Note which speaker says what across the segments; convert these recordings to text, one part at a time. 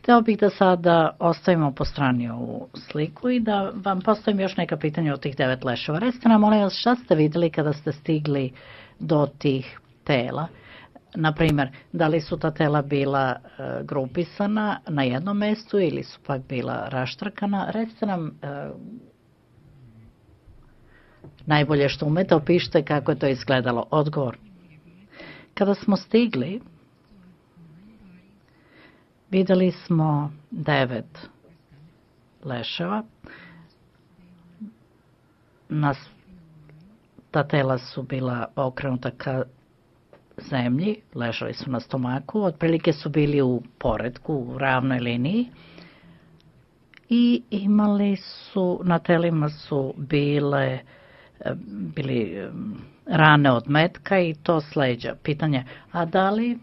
Speaker 1: Hteo bih da sada ostavimo po strani ovu sliku i da vam postavim još neka pitanja o tih 9 leševa. Recite nam, molim vas, šta ste videli kada ste stigli do tih tela? Naprimer, da li su ta tela bila grupisana na jednom mestu ili su pak bila raštrkana? Recite nam najbolje što umete, opišite kako je to izgledalo. Odgovor. Kada smo stigli, videli smo 9 leševa. Ta tela su bila okrenuta ka zemlji, ležali su na stomaku, otprilike su bili u poretku, u ravnoj liniji i imali su, na telima su bili rane od metka i to s leđa. Pitanje, a da li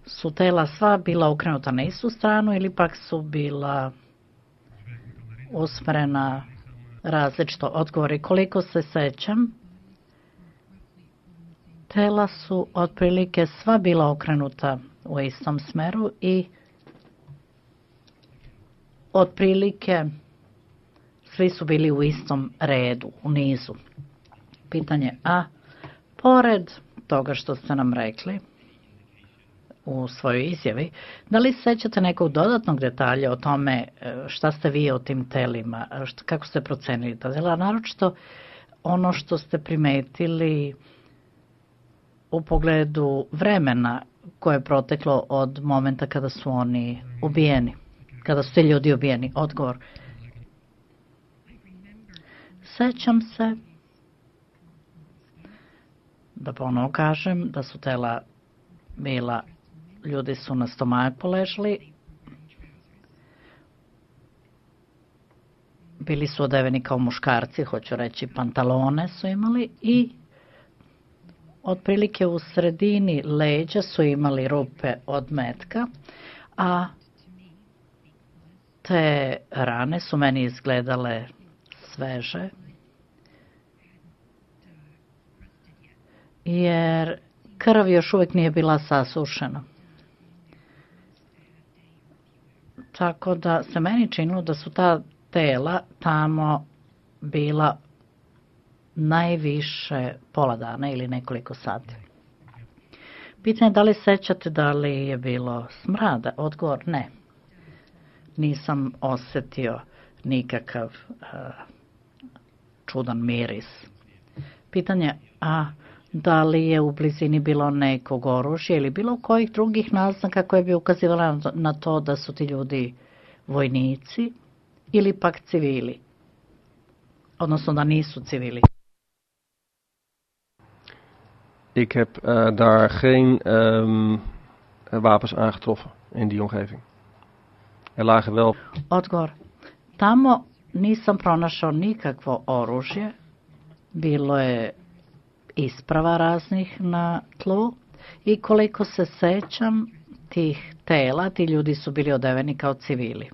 Speaker 1: su tela sva bila okrenuta na istu stranu ili pak su bila usmerena različito? Odgovori, koliko se sećam, tela su otprilike sva bila okrenuta u istom smeru i otprilike svi su bili u istom redu, u nizu. Pitanje, a pored toga što ste nam rekli u svojoj izjavi, da li sećate nekog dodatnog detalja o tome šta ste vi o tim telima, kako ste procenili ta tela, naročito ono što ste primetili u pogledu vremena koje je proteklo od momenta kada su oni ubijeni, kada su ti ljudi ubijeni? Odgovor. Sećam se, da ponovo kažem, da su tela bila, ljudi su na stomaku ležali, bili su odeveni kao muškarci, hoću reći, pantalone su imali i otprilike u sredini leđa su imali rupe od metka, a te rane su meni izgledale sveže, jer krv još uvijek nije bila sasušena. Tako da se meni činilo da su ta tela tamo bila najviše pola dana ili nekoliko sati. Pitanje, da li sećate da li je bilo smrada? Odgovor, ne. Nisam osetio nikakav čudan miris. Pitanje, a da li je u blizini bilo nekog oružja ili bilo kojih drugih naznaka koje bi ukazivala na to da su ti ljudi vojnici ili pak civili? Odnosno da nisu civili.
Speaker 2: Ik heb daar geen wapens aangetroffen in die omgeving. Er lagen wel...
Speaker 1: Odgovor. Tamo nisam pronašao nikakvo oružje. Bilo je isprava raznih na tlu i koliko se sećam tih tela, ti ljudi su bili odeveni kao civili.